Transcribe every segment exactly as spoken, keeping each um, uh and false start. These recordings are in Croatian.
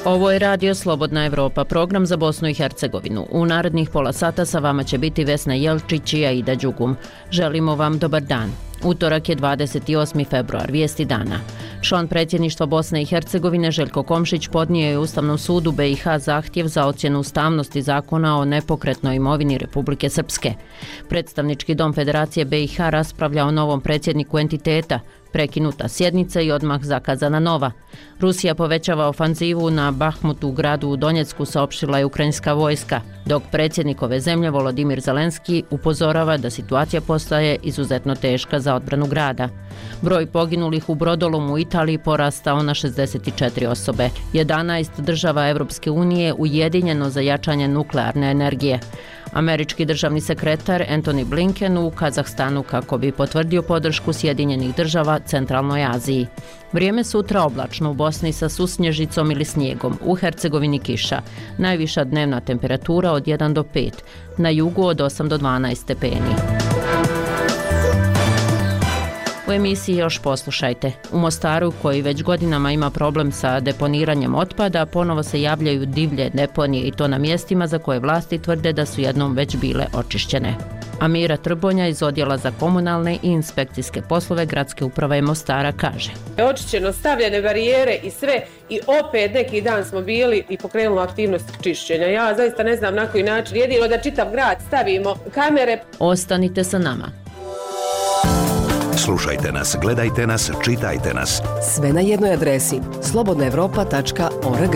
Ovo je Radio Slobodna Evropa, program za Bosnu i Hercegovinu. U narednih pola sata sa vama će biti Vesna Jelčić i Aida Đugum. Želimo vam dobar dan. Utorak je dvadeset osmi februar, vijesti dana. Član predsjedništva Bosne i Hercegovine Željko Komšić podnio je Ustavnom sudu B i H zahtjev za ocjenu ustavnosti zakona o nepokretnoj imovini Republike Srpske. Predstavnički dom Federacije B i H raspravlja o novom predsjedniku entiteta, prekinuta sjednica i odmah zakazana nova. Rusija povećava ofanzivu na Bahmutu, gradu u Donjecku, saopštila je ukrajinska vojska, dok predsjednik ove zemlje Volodimir Zelenski upozorava da situacija postaje izuzetno teška za odbranu grada. Broj poginulih u brodolomu u Italiji porastao na šezdeset četiri osobe. jedanaest država Evropske unije ujedinjeno za jačanje nuklearne energije. Američki državni sekretar Antony Blinken u Kazahstanu kako bi potvrdio podršku Sjedinjenih država Centralnoj Aziji. Vrijeme sutra oblačno u Bosni sa susnježicom ili snijegom, u Hercegovini kiša. Najviša dnevna temperatura od jedan do pet, na jugu od osam do dvanaest stepeni. U emisiji još poslušajte. U Mostaru, koji već godinama ima problem sa deponiranjem otpada, ponovo se javljaju divlje deponije i to na mjestima za koje vlasti tvrde da su jednom već bile očišćene. Amira Trbonja iz Odjela za komunalne i inspekcijske poslove Gradske uprave Mostara kaže: Očišćeno, stavljene barijere i sve, i opet neki dan smo bili i pokrenuli aktivnost čišćenja. Ja zaista ne znam na koji način, jedino da čitav grad stavimo kamere. Ostanite sa nama. Slušajte nas, gledajte nas, čitajte nas. Sve na jednoj adresi slobodna evropa tačka org.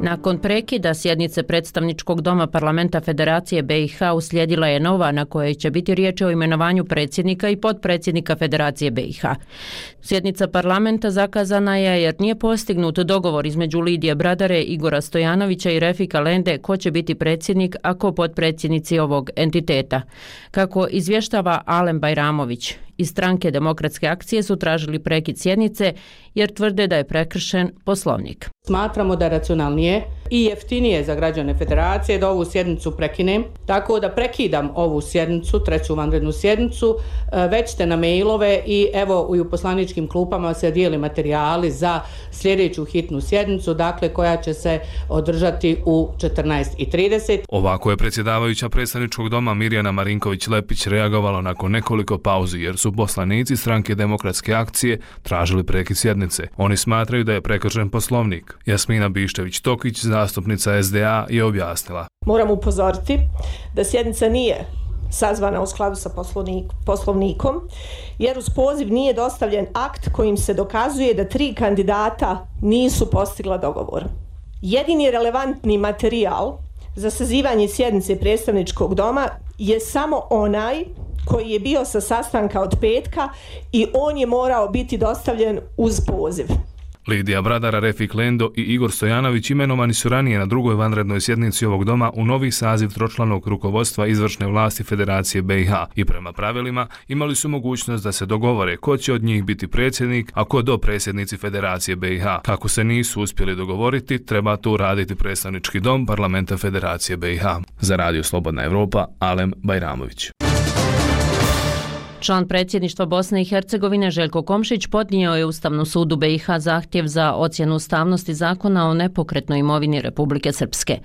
Nakon prekida sjednice predstavničkog doma parlamenta Federacije B i H uslijedila je nova na kojoj će biti riječ o imenovanju predsjednika i potpredsjednika Federacije B i H. Sjednica parlamenta zakazana je jer nije postignut dogovor između Lidije Bradare, Igora Stojanovića i Refika Lende ko će biti predsjednik, a ko potpredsjednici ovog entiteta. Kako izvještava Alem Bajramović, iz stranke Demokratske akcije su tražili prekid sjednice jer tvrde da je prekršen Poslovnik. Smatramo da je racionalnije i jeftinije za građane Federacije da ovu sjednicu prekinem, tako da prekidam ovu sjednicu, treću vanrednu sjednicu, već ste na mailove i evo i u poslaničkim klupama se dijeli materijali za sljedeću hitnu sjednicu, dakle koja će se održati u četrnaest i trideset. Ovako je predsjedavajuća predstavničkog doma Mirjana Marinković-Lepić reagovala nakon nekoliko pauzi jer su poslanici stranke Demokratske akcije tražili prekid sjednice. Oni smatraju da je prekršen Poslovnik. Jasmina Biščević-Tokić, zastupnica S D A, je objasnila: Moram upozoriti da sjednica nije sazvana u skladu sa poslovnikom, jer uz poziv nije dostavljen akt kojim se dokazuje da tri kandidata nisu postigla dogovor. Jedini relevantni materijal za sazivanje sjednice predstavničkog doma je samo onaj koji je bio sa sastanka od petka i on je morao biti dostavljen uz poziv. Lidija Bradara, Refik Lendo i Igor Stojanović imenovani su ranije na drugoj vanrednoj sjednici ovog doma u novi saziv tročlanog rukovodstva izvršne vlasti Federacije B i H i prema pravilima imali su mogućnost da se dogovore ko će od njih biti predsjednik, a ko dopredsjednici Federacije B i H. Kako se nisu uspjeli dogovoriti, treba to uraditi predstavnički dom parlamenta Federacije B i H. Za Radio Slobodna Evropa, Alem Bajramović. Član predsjedništva Bosne i Hercegovine Željko Komšić podnio je Ustavnom sudu B i H zahtjev za ocjenu ustavnosti zakona o nepokretnoj imovini Republike Srpske.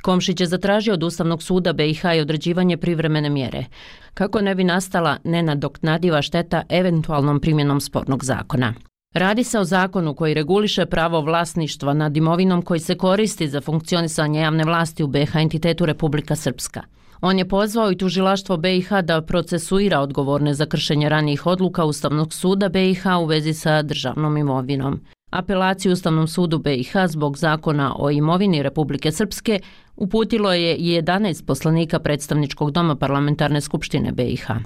Komšić je zatražio od Ustavnog suda B i H i određivanje privremene mjere, kako ne bi nastala nenadoknadiva šteta eventualnom primjenom spornog zakona. Radi se o zakonu koji reguliše pravo vlasništva nad imovinom koji se koristi za funkcionisanje javne vlasti u B i H entitetu Republika Srpska. On je pozvao i tužilaštvo B i H da procesuira odgovorne za kršenje ranijih odluka Ustavnog suda B i H u vezi sa državnom imovinom. Apelaciju Ustavnom sudu B i H zbog zakona o imovini Republike Srpske uputilo je i jedanaest poslanika predstavničkog doma parlamentarne skupštine B i H.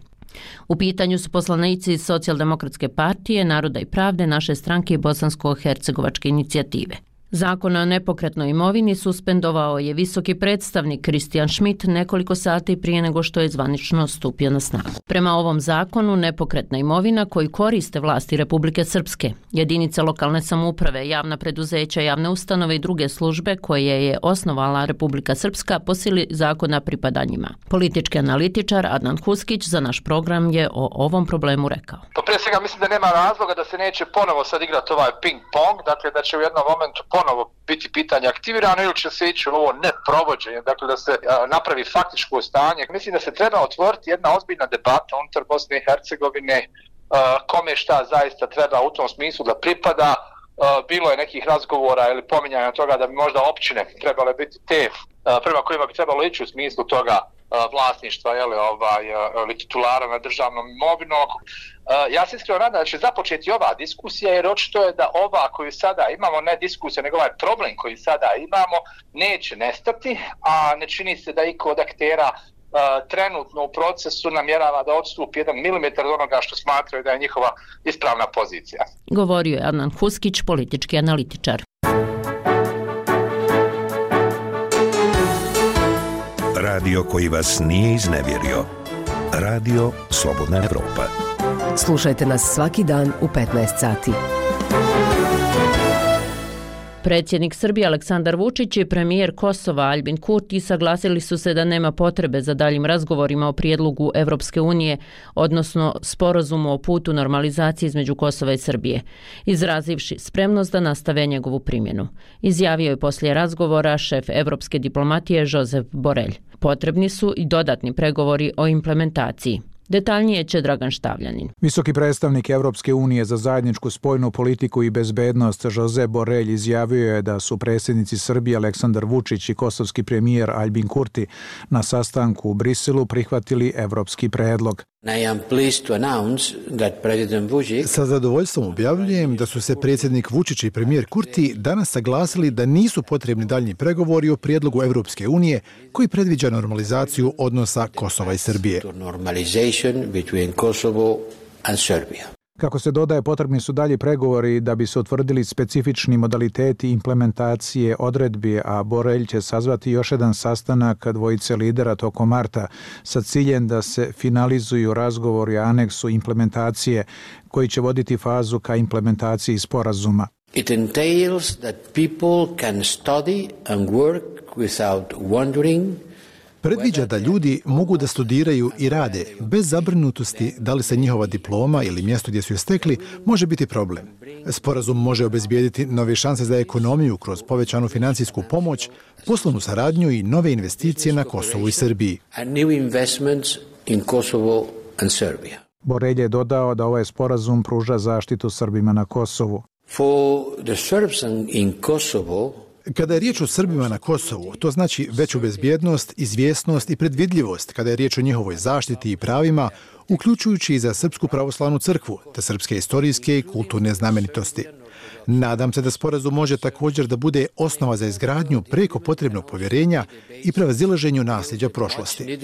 U pitanju su poslanici iz Socijaldemokratske partije, Naroda i pravde, naše stranke i Bosansko-hercegovačke inicijative. Zakon o nepokretnoj imovini suspendovao je visoki predstavnik Kristijan Schmidt nekoliko sati prije nego što je zvanično stupio na snagu. Prema ovom zakonu, nepokretna imovina koju koriste vlasti Republike Srpske, jedinice lokalne samouprave, javna preduzeća, javne ustanove i druge službe koje je osnovala Republika Srpska po sili zakona pripada njima. Politički analitičar Adnan Huskić za naš program je o ovom problemu rekao. Pa prije svega mislim da nema razloga da se neće ponovo sad igrati ovaj ping-pong, dakle da će u jednom momentu ponovo biti pitanje aktivirano ili će se ići u ovo neprovođenje, dakle da se a, napravi faktičko stanje. Mislim da se treba otvoriti jedna ozbiljna debata unutar Bosne i Hercegovine, a, kome šta zaista treba u tom smislu da pripada. A, bilo je nekih razgovora ili pominjanja toga da bi možda općine trebale biti te a, prema kojima bi trebalo ići u smislu toga vlasništva jeli, ovaj, ili titulara na državnom imovinom. Ja se iskreno nadam da će započeti ova diskusija, jer očito je da ova koju sada imamo, ne diskusija, nego ovaj problem koji sada imamo, neće nestati, a ne čini se da iko od aktera trenutno u procesu namjerava da odstupi jedan milimetar od onoga što smatraju da je njihova ispravna pozicija. Govorio je Adnan Huskić, politički analitičar. Radio koji vas nije iznevjerio. Radio Slobodna Evropa. Slušajte nas svaki dan u petnaest sati. Predsjednik Srbije Aleksandar Vučić i premijer Kosova Aljbin Kurti saglasili su se da nema potrebe za daljim razgovorima o prijedlogu Evropske unije, odnosno sporazumu o putu normalizacije između Kosova i Srbije, izrazivši spremnost da nastave njegovu primjenu. Izjavio je poslije razgovora šef evropske diplomatije Josep Borrell. Potrebni su i dodatni pregovori o implementaciji. Detaljnije će Dragan Štavljanin. Visoki predstavnik Evropske unije za zajedničku spoljnu politiku i bezbednost Josep Borrell izjavio je da su predsjednici Srbije Aleksandar Vučić i kosovski premijer Aljbin Kurti na sastanku u Briselu prihvatili evropski predlog. Sa zadovoljstvom objavljujem da su se predsjednik Vučić i premijer Kurti danas saglasili da nisu potrebni daljnji pregovori o prijedlogu Evropske unije koji predviđa normalizaciju odnosa Kosova i Srbije. Kako se dodaje, potrebni su dalji pregovori da bi se utvrdili specifični modaliteti implementacije odredbi, a Borrell će sazvati još jedan sastanak dvojice lidera tokom marta sa ciljem da se finalizuju razgovori o aneksu implementacije koji će voditi fazu ka implementaciji sporazuma. It entails that people can study and work without wondering. Predviđa da ljudi mogu da studiraju i rade bez zabrinutosti da li se njihova diploma ili mjesto gdje su je stekli može biti problem. Sporazum može obezbijediti nove šanse za ekonomiju kroz povećanu financijsku pomoć, poslovnu saradnju i nove investicije na Kosovu i Srbiji. Borrell je dodao da ovaj sporazum pruža zaštitu Srbima na Kosovu. For the Serbs in Kosovo, kada je riječ o Srbima na Kosovu, to znači veću bezbjednost, izvjesnost i predvidljivost kada je riječ o njihovoj zaštiti i pravima, uključujući i za Srpsku pravoslavnu crkvu, te srpske historijske i kulturne znamenitosti. Nadam se da sporazum može također da bude osnova za izgradnju preko potrebnog povjerenja i prevazilaženju nasljeđa prošlosti.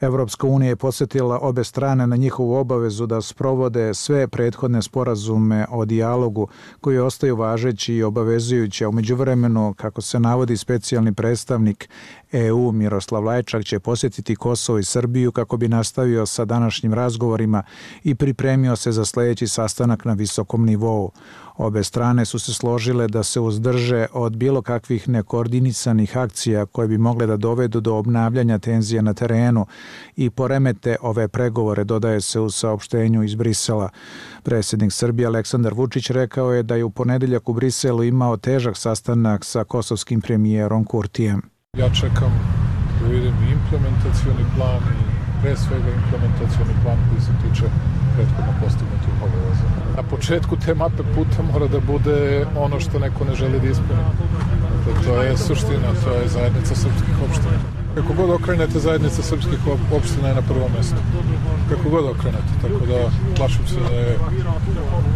Evropska unija je podsjetila obe strane na njihovu obavezu da sprovode sve prethodne sporazume o dijalogu koji ostaju važeći i obavezujući, a u međuvremenu, kako se navodi specijalni predstavnik E U Miroslav Lajčak, će posjetiti Kosovo i Srbiju kako bi nastavio sa današnjim razgovorima i pripremio se za sljedeći sastanak na visokom nivou. Obe strane su se složile da se uzdrže od bilo kakvih nekoordinisanih akcija koje bi mogle da dovedu do obnavljanja tenzija na terenu i poremete ove pregovore, dodaje se u saopštenju iz Brisela. Predsjednik Srbije Aleksandar Vučić rekao je da je u ponedeljak u Briselu imao težak sastanak sa kosovskim premijerom Kurtijem. Ja čekam da vidim i implementacioni plan i pre svega implementacioni plan koji se tiče prethodno postignutih obaveza. Na početku te mape puta mora da bude ono što neko ne želi da ispuni. Dakle, to je suština, to je zajednica srpskih opština. Kako god okrenete, zajednica srpskih opština je na prvom mjestu. Kako god okrenete, tako da plašim se da je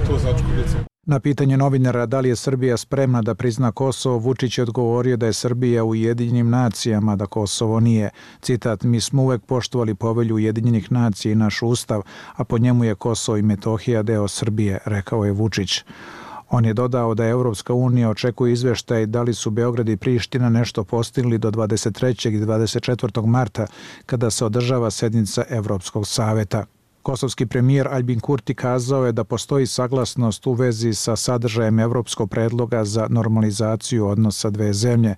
to začkoljica. Na pitanje novinara da li je Srbija spremna da prizna Kosovo, Vučić je odgovorio da je Srbija u Ujedinjenim nacijama, da Kosovo nije. Citat, mi smo uvek poštovali povelju Ujedinjenih nacija i naš ustav, a po njemu je Kosovo i Metohija deo Srbije, rekao je Vučić. On je dodao da Evropska unija očekuje izveštaj da li su Beograd i Priština nešto postigli do dvadeset trećeg i dvadeset četvrtog marta kada se održava sednica Evropskog saveta. Kosovski premijer Albin Kurti kazao je da postoji saglasnost u vezi sa sadržajem evropskog predloga za normalizaciju odnosa dve zemlje.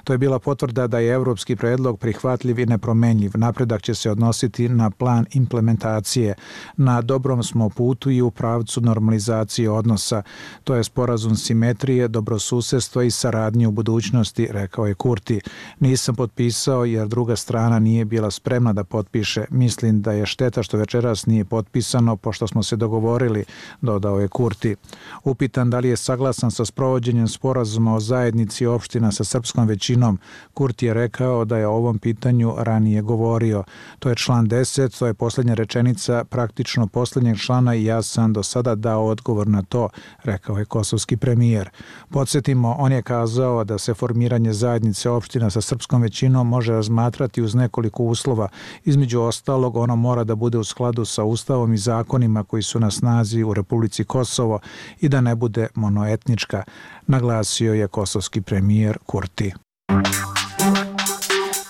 To je bila potvrda da je evropski predlog prihvatljiv i nepromenljiv. Napredak će se odnositi na plan implementacije. Na dobrom smo putu i u pravcu normalizacije odnosa. To je sporazum simetrije, dobrosusedstva i saradnje u budućnosti, rekao je Kurti. Nisam potpisao jer druga strana nije bila spremna da potpiše. Mislim da je šteta što večeras nije potpisano, pošto smo se dogovorili, dodao je Kurti. Upitan da li je saglasan sa sprovođenjem sporazuma o zajednici opština sa srpskom većinom, Kurti je rekao da je o ovom pitanju ranije govorio. To je član deset, to je posljednja rečenica praktično posljednjeg člana i ja sam do sada dao odgovor na to, rekao je kosovski premijer. Podsjetimo, on je kazao da se formiranje zajednice opština sa srpskom većinom može razmatrati uz nekoliko uslova. Između ostalog, ono mora da bude u skladu sa ustavom i zakonima koji su na snazi u Republici Kosovo i da ne bude monoetnička, naglasio je kosovski premijer Kurti.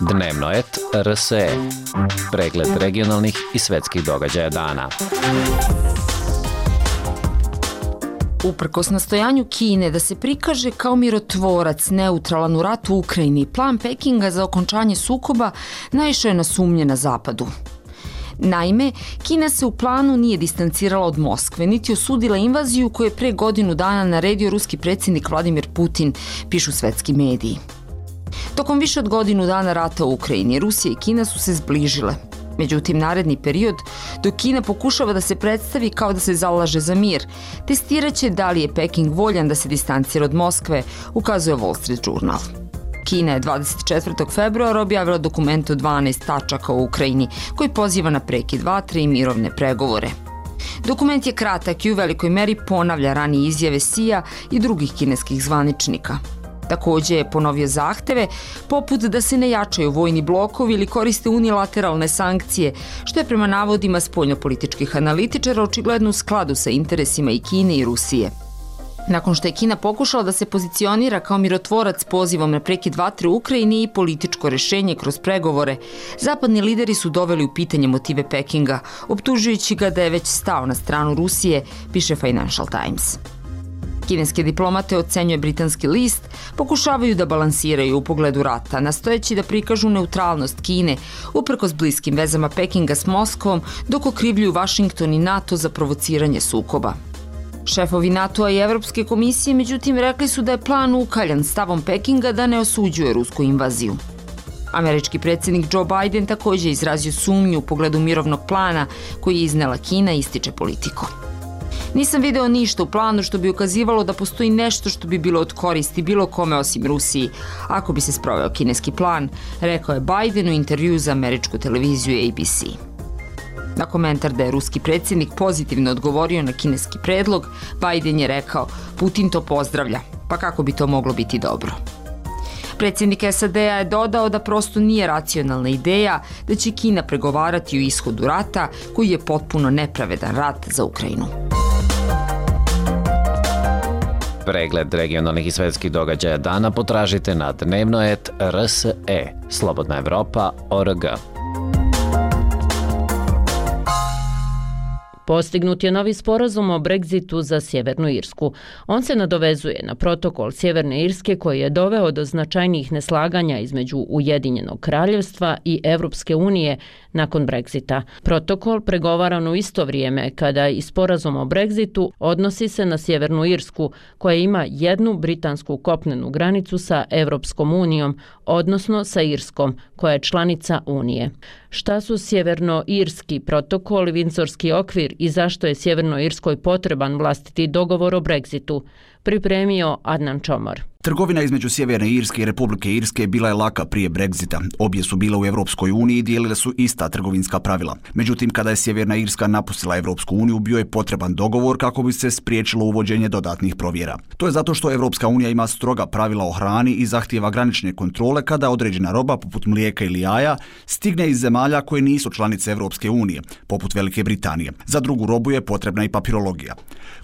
Dnevno et R S E. Pregled regionalnih i svetskih događaja dana. Uprkos nastojanju Kine da se prikaže kao mirotvorac neutralan u ratu u Ukrajini, plan Pekinga za okončanje sukoba naišao je na sumnje na zapadu. Naime, Kina se u planu nije distancirala od Moskve, niti osudila invaziju koju je pre godinu dana naredio ruski predsjednik Vladimir Putin, pišu svetski mediji. Tokom više od godinu dana rata u Ukrajini, Rusija i Kina su se zbližile. Međutim, naredni period, dok Kina pokušava da se predstavi kao da se zalaže za mir, testiraće da li je Peking voljan da se distancira od Moskve, ukazuje Wall Street Journal. Kina je dvadeset četvrtog februara objavila dokument od dvanaest tačaka o Ukrajini, koji poziva na prekid vatre i mirovne pregovore. Dokument je kratak i u velikoj meri ponavlja ranije izjave Sija i drugih kineskih zvaničnika. Također je ponovio zahteve, poput da se ne jačaju vojni blokovi ili koriste unilateralne sankcije, što je prema navodima spoljnopolitičkih analitičara očigledno u skladu sa interesima i Kine i Rusije. Nakon što je Kina pokušala da se pozicionira kao mirotvorac pozivom na prekid vatre u Ukrajini i političko rešenje kroz pregovore, zapadni lideri su doveli u pitanje motive Pekinga, optužujući ga da je već stao na stranu Rusije, piše Financial Times. Kineske diplomate, ocenjuje britanski list, pokušavaju da balansiraju u pogledu rata, nastojeći da prikažu neutralnost Kine, uprkos bliskim vezama Pekinga s Moskvom, dok okrivljuju Vašington i NATO za provociranje sukoba. Šefovi NATO-a i Evropske komisije, međutim, rekli su da je plan ukaljan stavom Pekinga da ne osuđuje rusku invaziju. Američki predsjednik Joe Biden također izrazio sumnju u pogledu mirovnog plana koji je iznela Kina, ističe Politico. Nisam video ništa u planu što bi ukazivalo da postoji nešto što bi bilo od koristi bilo kome osim Rusiji, ako bi se sproveo kineski plan, rekao je Biden u intervjuu za američku televiziju A B C. Na komentar da je ruski predsjednik pozitivno odgovorio na kineski predlog, Biden je rekao: Putin to pozdravlja, pa kako bi to moglo biti dobro. Predsjednik S A D-a je dodao da prosto nije racionalna ideja da će Kina pregovarati o ishodu rata koji je potpuno nepravedan rat za Ukrajinu. Pregled regionalnih i svetskih događaja dana potražite na dnevno et R S E, Slobodna Evropa tačka org. Postignut je novi sporazum o Brexitu za Sjevernu Irsku. On se nadovezuje na protokol Sjeverne Irske koji je doveo do značajnijih neslaganja između Ujedinjenog kraljevstva i Evropske unije nakon Brexita. Protokol, pregovaran u isto vrijeme kada i sporazum o Brexitu, odnosi se na Sjevernu Irsku koja ima jednu britansku kopnenu granicu sa Evropskom unijom, odnosno sa Irskom koja je članica Unije. Šta su Sjevernoirski protokol i Vindzorski okvir i zašto je Sjevernoj Irskoj potreban vlastiti dogovor o Brexitu, pripremio Adnan Čomor. Trgovina između Sjeverne Irske i Republike Irske bila je laka prije Brexita. Obje su bile u Europskoj uniji i dijelile su ista trgovinska pravila. Međutim, kada je Sjeverna Irska napustila Europsku uniju, bio je potreban dogovor kako bi se spriječilo uvođenje dodatnih provjera. To je zato što Europska unija ima stroga pravila o hrani i zahtijeva granične kontrole kada određena roba, poput mlijeka ili jaja, stigne iz zemalja koje nisu članice Europske unije, poput Velike Britanije. Za drugu robu je potrebna i papirologija.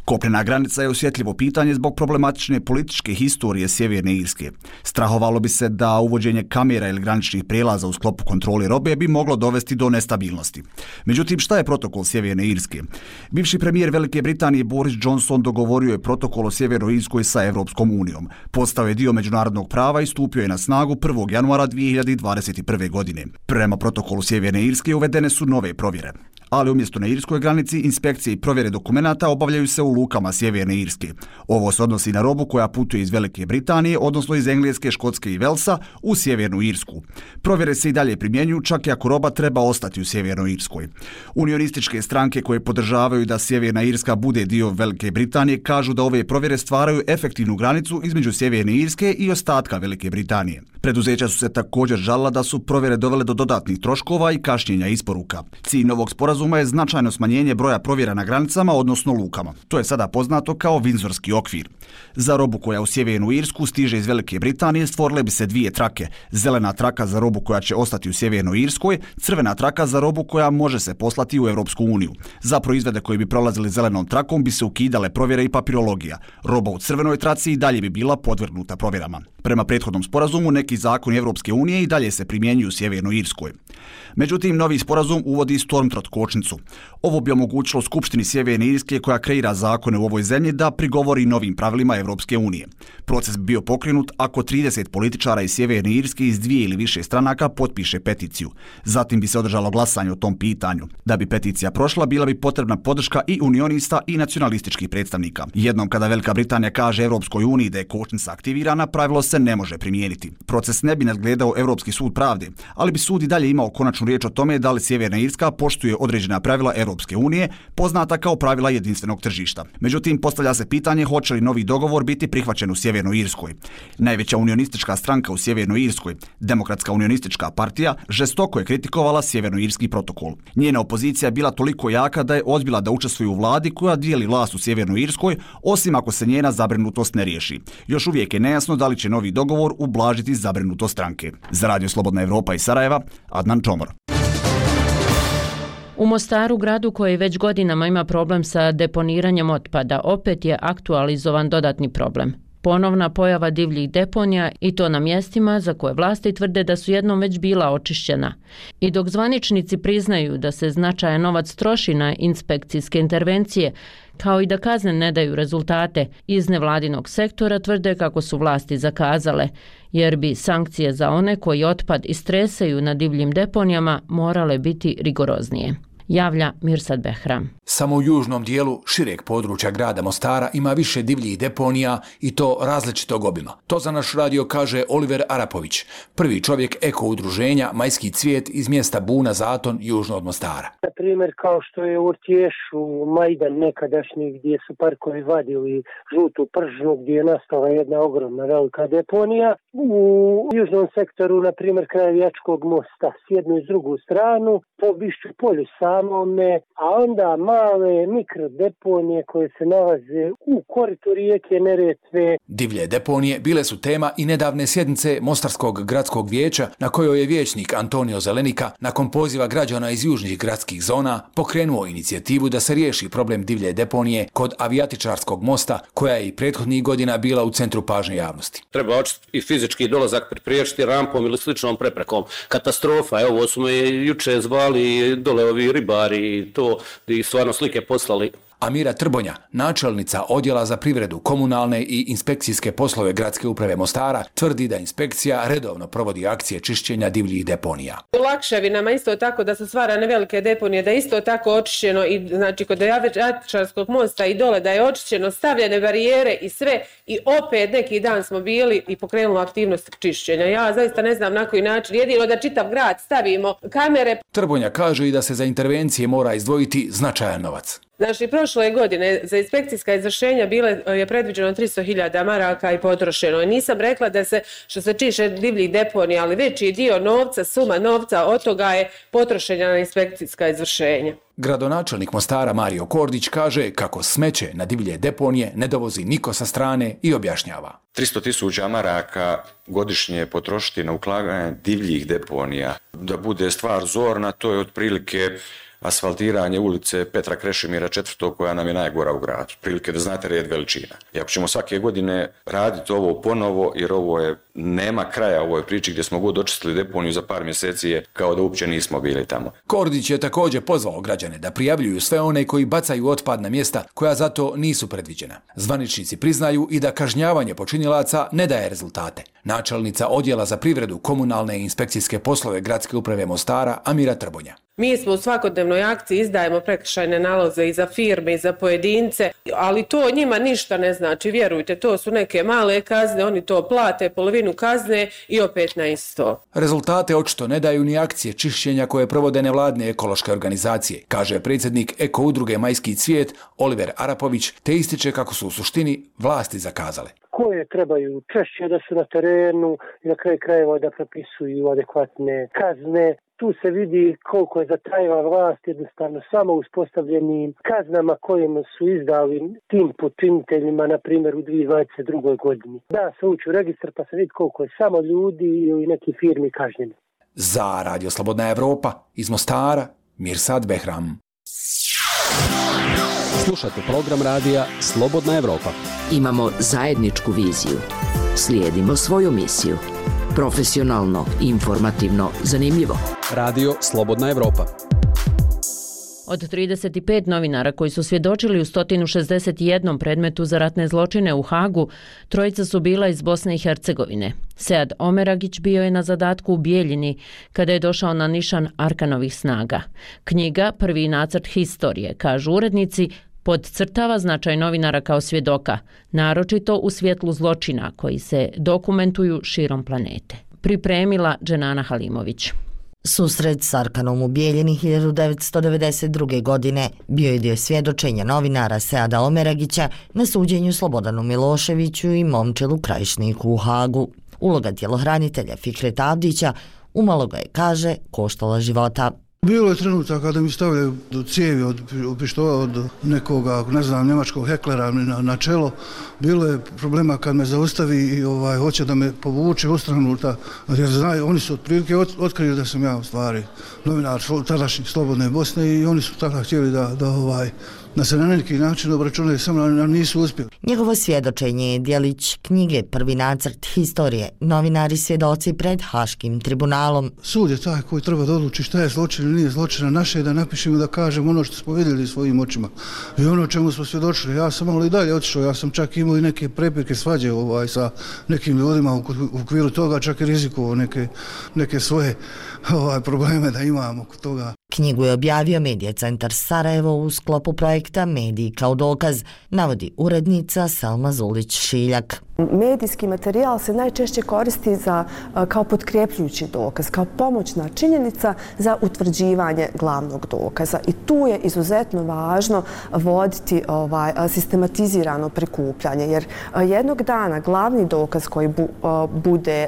Kopnena granica je osjetljivo pitanje zbog problematične političke historije Sjeverne Irske. Strahovalo bi se da uvođenje kamera ili graničnih prijelaza u sklopu kontrole robe bi moglo dovesti do nestabilnosti. Međutim, šta je protokol Sjeverne Irske? Bivši premijer Velike Britanije Boris Johnson dogovorio je protokol o Sjevernoj Irskoj sa Europskom unijom. Postao je dio međunarodnog prava i stupio je na snagu prvog januara dvije hiljade dvadeset prve. godine. Prema protokolu Sjeverne Irske uvedene su nove provjere. Ali umjesto na irskoj granici, inspekcije i provjere dokumenata obavljaju se u lukama Sjeverne Irske. Ovo se odnosi na robu koja putuje iz Velike Britanije, odnosno iz Engleske, Škotske i Velsa, u Sjevernu Irsku. Provjere se i dalje primjenjuju, čak i ako roba treba ostati u Sjevernoj Irskoj. Unionističke stranke koje podržavaju da Sjeverna Irska bude dio Velike Britanije kažu da ove provjere stvaraju efektivnu granicu između Sjeverne Irske i ostatka Velike Britanije. Preduzeća su se također žalila da su provjere dovele do dodatnih troškova i kašnjenja isporuka. Cilj novog sporazuma je značajno smanjenje broja provjera na granicama, odnosno lukama. To je sada poznato kao Vindzorski okvir. Za robu koja u Sjevernu Irsku stiže iz Velike Britanije stvorile bi se dvije trake. Zelena traka za robu koja će ostati u Sjevernoj Irskoj, crvena traka za robu koja može se poslati u Europsku uniju. Za proizvode koji bi prolazili zelenom trakom bi se ukidale provjere i papirologija. Roba u crvenoj traci i dalje bi bila podvrgnuta provjerama. Prema prethodnom sporazumu, neki zakoni Europske unije i dalje se primjenjuju u Sjevernoj Irskoj. Međutim, novi sporazum uvodi Stormtrot kočnicu. Ovo bi omogućilo Skupštini Sjeverne Irske, koja kreira zakone u ovoj zemlji, da prigovori novim pravilima Europske unije. Proces bi bio pokrenut ako trideset političara iz Sjeverne Irske iz dvije ili više stranaka potpiše peticiju. Zatim bi se održalo glasanje o tom pitanju. Da bi peticija prošla, bila bi potrebna podrška i unionista i nacionalističkih predstavnika. Jednom kada Velika Britanija kaže Europskoj uniji da je kočnica aktivirana, pravilo se ne može primijeniti. Proces ne bi nadgledao Europski sud pravde, ali bi sud i dalje imao konačnu riječ o tome da li Sjeverna Irska poštuje određena pravila Europske unije, poznata kao pravila jedinstvenog tržišta. Međutim, postavlja se pitanje hoće li novi dogovor biti prihvaćen u Sjevernoj Irskoj. Najveća unionistička stranka u Sjevernoj Irskoj, Demokratska unionistička partija, žestoko je kritikovala Sjevernoirski protokol. Njena opozicija je bila toliko jaka da je odbila da učestvuje u vladi koja dijeli vlast u Sjevernoj Irskoj, osim ako se njena zabrinutost ne riješi. Još uvijek je nejasno da li će novi dogovor ublažiti zabrinutost stranke. Za Radio Slobodna Evropa iz Sarajeva, Adnan Čomor. U Mostaru, gradu koji već godinama ima problem sa deponiranjem otpada, opet je aktualizovan dodatni problem. Ponovna pojava divljih deponija i to na mjestima za koje vlasti tvrde da su jednom već bila očišćena. I dok zvaničnici priznaju da se značajan novac troši na inspekcijske intervencije, kao i da kazne ne daju rezultate, iz nevladinog sektora tvrde kako su vlasti zakazale, jer bi sankcije za one koji otpad istresaju na divljim deponijama morale biti rigoroznije. Javlja Mirsad Behram. Samo u južnom dijelu šireg područja grada Mostara ima više divljih deponija i to različitog obima. To za naš radio kaže Oliver Arapović, prvi čovjek eko udruženja Majski cvijet iz mjesta Buna Zaton, južno od Mostara. Na primjer, kao što je u Urtješu, Majdan nekadašnji, gdje su parkovi vadili žutu pržnu, gdje je nastala jedna ogromna velika deponija. U južnom sektoru, na primjer, kraj Vijačkog mosta, s jednu i s drugu stranu, po Bišću polju samome, a onda male mikrodeponije koje se nalaze u koritu rijeke Neretve. Divlje deponije bile su tema i nedavne sjednice Mostarskog gradskog vijeća, na kojoj je vijećnik Antonio Zelenika nakon poziva građana iz južnih gradskih zona pokrenuo inicijativu da se riješi problem divlje deponije kod Avijatičarskog mosta, koja je i prethodnih godina bila u centru pažnje javnosti. Treba očistiti i fizički dolazak priječiti rampom ili sličnom preprekom. Katastrofa, evo ovo smo je juče zvali dole ovi ribari i to i stvarno slike poslali. Amira Trbonja, načelnica odjela za privredu, komunalne i inspekcijske poslove gradske uprave Mostara, tvrdi da inspekcija redovno provodi akcije čišćenja divljih deponija. U Lakševinama isto tako da su stvarane velike deponije, da je isto tako očišćeno i znači kod Avijatičarskog mosta i dole da je očišćeno, stavljene barijere i sve, i opet neki dan smo bili i pokrenuli aktivnost čišćenja. Ja zaista ne znam na koji način, jedino da čitav grad stavimo kamere. Trbonja kaže i da se za intervencije mora izdvojiti značajan novac. Znači, prošle godine za inspekcijska izvršenja bile je predviđeno tristo hiljada maraka i potrošeno. I nisam rekla da se, što se tiče divljih deponija, ali veći dio novca, suma novca od toga je potrošena na inspekcijska izvršenja. Gradonačelnik Mostara Mario Kordić kaže kako smeće na divlje deponije ne dovozi niko sa strane i objašnjava. tristo tisuća maraka godišnje potrošiti na uklanjanje divljih deponija. Da bude stvar zorna, to je otprilike asfaltiranje ulice Petra Krešimira četvrtog koja nam je najgora u gradu. Prilike da znate red veličina. I ako ćemo svake godine raditi ovo ponovo, jer ovo je, nema kraja ovoj priči gdje smo god očistili deponiju za par mjeseci je kao da uopće nismo bili tamo. Kordić je također pozvao građane da prijavljuju sve one koji bacaju otpad na mjesta koja zato nisu predviđena. Zvaničnici priznaju i da kažnjavanje počinilaca ne daje rezultate. Načelnica odjela za privredu, komunalne i inspekcijske poslove Gradske uprave Mostara Amira Trbonja. Mi smo u svakodnevnoj akciji, izdajemo prekršajne naloze i za firme i za pojedince, ali to njima ništa ne znači, vjerujte, to su neke male kazne, oni to plate, polovinu kazne i opet na isto. Rezultate očito ne daju ni akcije čišćenja koje provode nevladne ekološke organizacije, kaže predsjednik Eko udruge Majski cvijet Oliver Arapović, te ističe kako su u suštini vlasti zakazale. Koje trebaju češće da su na terenu i na kraju krajeva da propisuju adekvatne kazne. Tu se vidi koliko je zatajila vlast jednostavno samo uspostavljenim kaznama kojima su izdali tim počiniteljima, na primjer u dvije tisuće dvadeset drugoj godini. Da se ući u registar pa se vidi koliko je samo ljudi ili neki firmi kažnjeni. Za Radio Slobodna Evropa iz Mostara, Mirsad Behram. Slušate program radija Slobodna Evropa. Imamo zajedničku viziju. Slijedimo svoju misiju. Profesionalno, informativno, zanimljivo. Radio Slobodna Evropa. Od trideset pet novinara koji su svjedočili u sto šezdeset jedan predmetu za ratne zločine u Hagu, trojica su bila iz Bosne i Hercegovine. Sead Omeragić bio je na zadatku u Bijeljini kada je došao na nišan Arkanovih snaga. Knjiga Prvi nacrt historije, kažu urednici, podcrtava značaj novinara kao svjedoka, naročito u svjetlu zločina koji se dokumentuju širom planete. Pripremila Dženana Halimović. Susret s Arkanom u Bijeljini hiljadu devetsto devedeset druge. godine bio je dio svjedočenja novinara Seada Omeragića na suđenju Slobodanu Miloševiću i Momčilu Krajišniku u Hagu. Uloga tjelohranitelja Fikreta Avdića umalo ga je, kaže, koštala života. Bilo je trenutak kada mi stavljaju do cijevi od pištolja od nekoga, ne znam, njemačkog heklera na, na čelo. Bilo je problema kad me zaustavi i ovaj, hoće da me povuče u stranu, ta, jer znaju, oni su otprilike ot, otkrili da sam ja u stvari novinar tadašnjih Slobodne Bosne i oni su tada htjeli da, da, ovaj, da se na neki način obračunaju, samo nisu uspjeli. Njegovo svjedočenje je djelić knjige Prvi nacrt historije, novinari svjedoci pred Haškim tribunalom. Sud je taj koji treba da odluči šta je zločin ili nije zločina. Naše je da napišemo, da kažemo ono što smo vidjeli svojim očima i ono čemu smo svjedočili. Ja sam malo i dalje otišao, ja sam čak imao i neke prepirke svađe ovaj, sa nekim ljudima u okviru toga, čak i rizikovao neke, neke svoje ovaj, probleme da imamo oko toga. Knjigu je objavio Medija centar Sarajevo u sklopu projekta Mediji kao dokaz, navodi urednica Selma Zulić-Šiljak. Medijski materijal se najčešće koristi za, kao potkrepljujući dokaz, kao pomoćna činjenica za utvrđivanje glavnog dokaza. I tu je izuzetno važno voditi ovaj, sistematizirano prikupljanje, jer jednog dana glavni dokaz koji bu, bude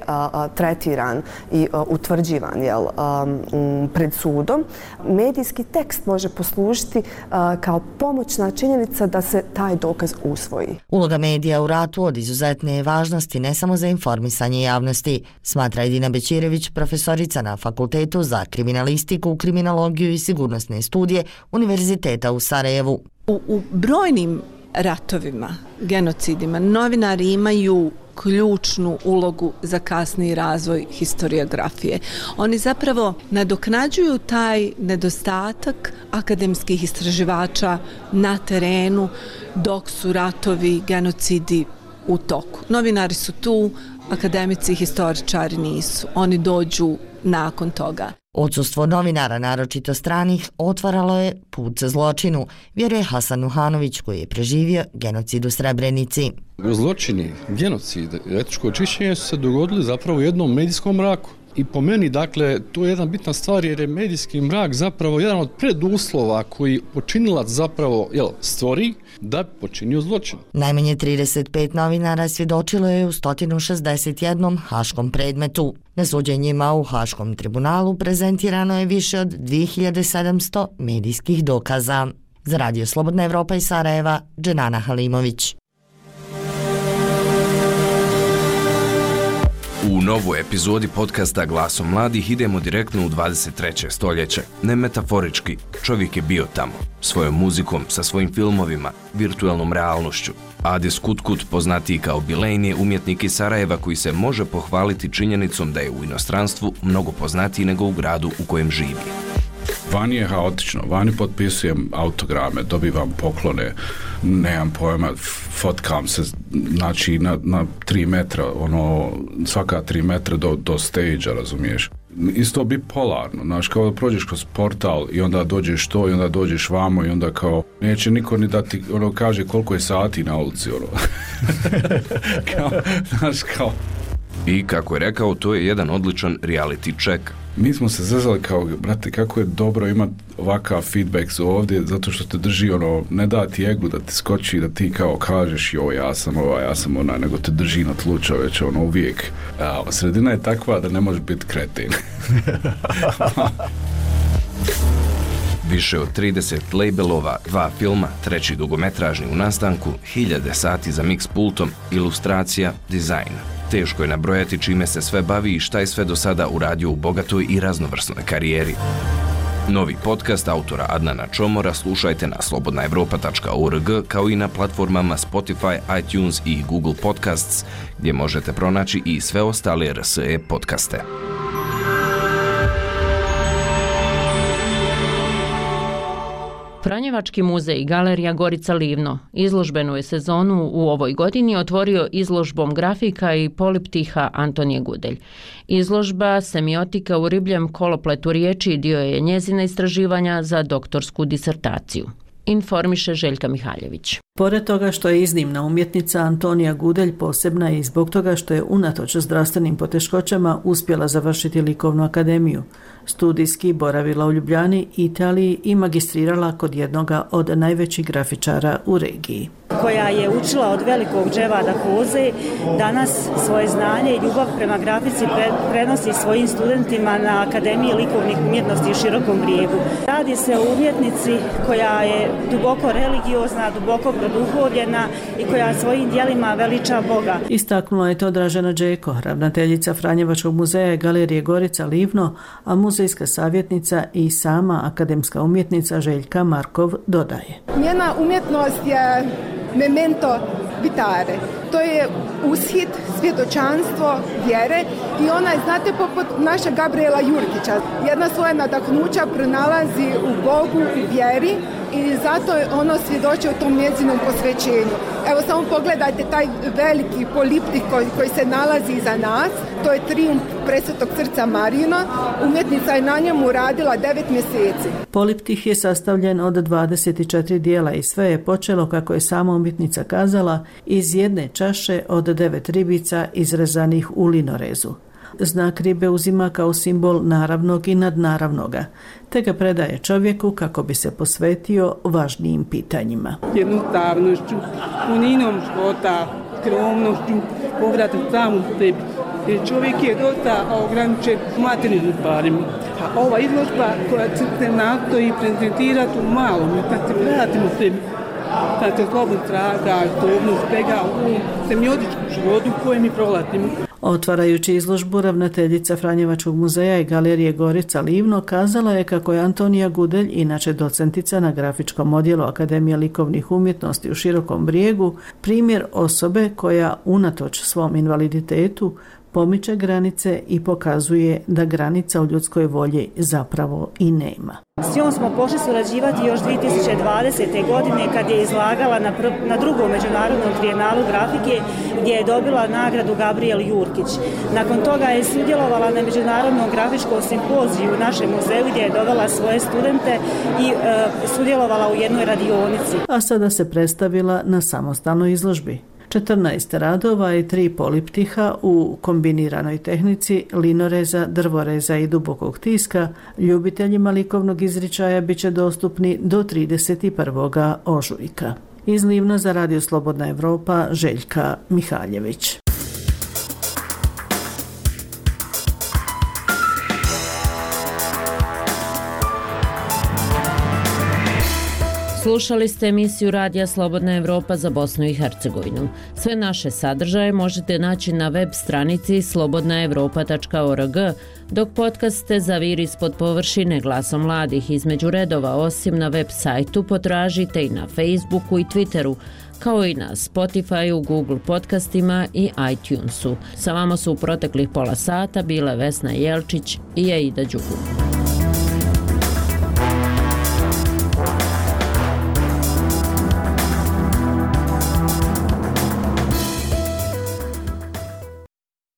tretiran i utvrđivan jel, pred sudom, medijski tekst može poslužiti kao pomoćna činjenica da se taj dokaz usvoji. Uloga medija u ratu od izuzetne je važnosti ne samo za informisanje javnosti, smatra Edina Bećirević, profesorica na Fakultetu za kriminalistiku, kriminologiju i sigurnosne studije Univerziteta u Sarajevu. U, u brojnim ratovima, genocidima, novinari imaju ključnu ulogu za kasniji razvoj historiografije. Oni zapravo nadoknađuju taj nedostatak akademskih istraživača na terenu dok su ratovi, genocidi u toku. Novinari su tu, akademici i historičari nisu. Oni dođu nakon toga. Odsustvo novinara, naročito stranih, otvaralo je put za zločinu, vjeruje Hasan Nuhanović koji je preživio genocid u Srebrenici. Zločini, genocid, etničko čišćenje su se dogodili zapravo u jednom medijskom mraku. I po meni, dakle, to je jedna bitna stvar jer je medijski mrak zapravo jedan od preduslova koji počinilac zapravo jel, stvori da bi počinio zločin. Najmanje trideset pet novinara svjedočilo je u sto šezdeset jedan haškom predmetu. Na suđenjima u Haškom tribunalu prezentirano je više od dvije hiljade sedamsto medijskih dokaza. Za Radio Slobodna Evropa iz Sarajeva, Dženana Halimović. U novoj epizodi podcasta Glasom mladih idemo direktno u dvadeset treće stoljeće. Ne metaforički, čovjek je bio tamo. Svojom muzikom, sa svojim filmovima, virtualnom realnošću. Adis Kutkut, poznatiji kao Bilejn, je umjetnik iz Sarajeva koji se može pohvaliti činjenicom da je u inostranstvu mnogo poznatiji nego u gradu u kojem živi. Vani je haotično, vani potpisujem autograme, dobivam poklone, nemam pojma, fotkam se, znači na, na tri metra, ono, svaka tri metra do, do stage-a, razumiješ. Isto bipolarno, znaš, kao da prođeš kroz portal i onda dođeš to i onda dođeš vamo i onda kao, neće niko ni da ti, ono, kaže koliko je sati na ulici, ono. kao, znaš, kao. I kako je rekao, to je jedan odličan reality check. Mi smo se zezali kao, brate, kako je dobro imati ovakav feedback ovdje, zato što te drži, ono, ne da ti egu da ti skoči, da ti kao kažeš, joj, ja sam ova, ja sam ona, nego te drži na tlu, čoveče, ono, uvijek. A, sredina je takva da ne može biti kretin. Više od trideset labelova, dva filma, treći dugometražni u nastanku, hiljade sati za mix pultom, ilustracija, dizajn. Teško je nabrojati čime se sve bavi i šta je sve do sada uradio u bogatoj i raznovrsnoj karijeri. Novi podcast autora Adnana Čomora slušajte na slobodna evropa tačka org kao i na platformama Spotify, iTunes i Google Podcasts, gdje možete pronaći i sve ostale R S E podcaste. Franjevački muzej i galerija Gorica Livno izložbenu je sezonu u ovoj godini otvorio izložbom grafika i poliptiha Antonije Gudelj. Izložba Semiotika u ribljem kolopletu riječi dio je njezina istraživanja za doktorsku disertaciju. Informiše Željka Mihaljević. Pored toga što je iznimna umjetnica, Antonija Gudelj posebna je i zbog toga što je unatoč zdravstvenim poteškoćama uspjela završiti likovnu akademiju. Studijski boravila u Ljubljani, Italiji i magistrirala kod jednoga od najvećih grafičara u regiji. Koja je učila od velikog Dževada Koze, danas svoje znanje i ljubav prema grafici prenosi svojim studentima na Akademiji likovnih umjetnosti u Širokom Brijegu. Radi se o umjetnici koja je duboko religiozna, duboko produhovljena i koja svojim djelima veliča Boga. Istaknula je to Dražena Đeko, ravnateljica Franjevačkog muzeja i galerije Gorica Livno, a muzejska savjetnica i sama akademska umjetnica Željka Markov dodaje. Njena umjetnost je memento vitare. To je ushit, svjedočanstvo vjere i ona je, znate, poput naša Gabriela Jurgića. Jedna svoje nadahnuća pronalazi u Bogu, u vjeri i zato ono svjedoči o tom njezinom posvećenju. Evo samo pogledajte taj veliki poliptih koji, koji se nalazi iza nas. To je trijumf Presvetog srca Marijina. Umjetnica je na njemu radila devet mjeseci. Poliptih je sastavljen od dvadeset četiri dijela i sve je počelo, kako je sama umjetnica kazala, iz jedne čaše od devet ribica izrezanih u linorezu. Znak ribe uzima kao simbol naravnog i nadnaravnoga, te ga predaje čovjeku kako bi se posvetio važnijim pitanjima. Jednostavnošću, puninom života, skromnošću, povratom samu sebi. Jer čovjek je dosta ograničen materijalnim stvarima. A ova izložba koja se nastoji prezentirati u malom, kad se vratimo sebi, kad se slobodno traga, slobodno spega u semiotičkom životu u kojem mi prolazimo. Otvarajući izložbu, ravnateljica Franjevačkog muzeja i galerije Gorica Livno kazala je kako je Antonija Gudelj, inače docentica na grafičkom odjelu Akademije likovnih umjetnosti u Širokom Brijegu, primjer osobe koja unatoč svom invaliditetu pomiče granice i pokazuje da granica u ljudskoj volji zapravo i nema. S njom smo pošli surađivati još dvije tisuće dvadesete. godine kad je izlagala na, pr- na drugom međunarodnom trijenalu grafike gdje je dobila nagradu Gabriel Jurkić. Nakon toga je sudjelovala na međunarodnom grafičkom simpoziju u našem muzeju gdje je dovela svoje studente i e, sudjelovala u jednoj radionici. A sada se predstavila na samostalnoj izložbi. četrnaest radova i tri poliptiha u kombiniranoj tehnici linoreza, drvoreza i dubokog tiska ljubiteljima likovnog izričaja bit će dostupni do trideset prvog ožujka. Iz Livna za Radio Slobodna Evropa, Željka Mihaljević. Slušali ste emisiju Radija Slobodna Evropa za Bosnu i Hercegovinu. Sve naše sadržaje možete naći na web stranici slobodna evropa tačka org, dok podcaste Zavir ispod površine Glasom mladih između redova osim na web sajtu potražite i na Facebooku i Twitteru, kao i na Spotifyu, Google podcastima i iTunesu. Sa vama su u proteklih pola sata bile Vesna Jelčić i Aida Đukum.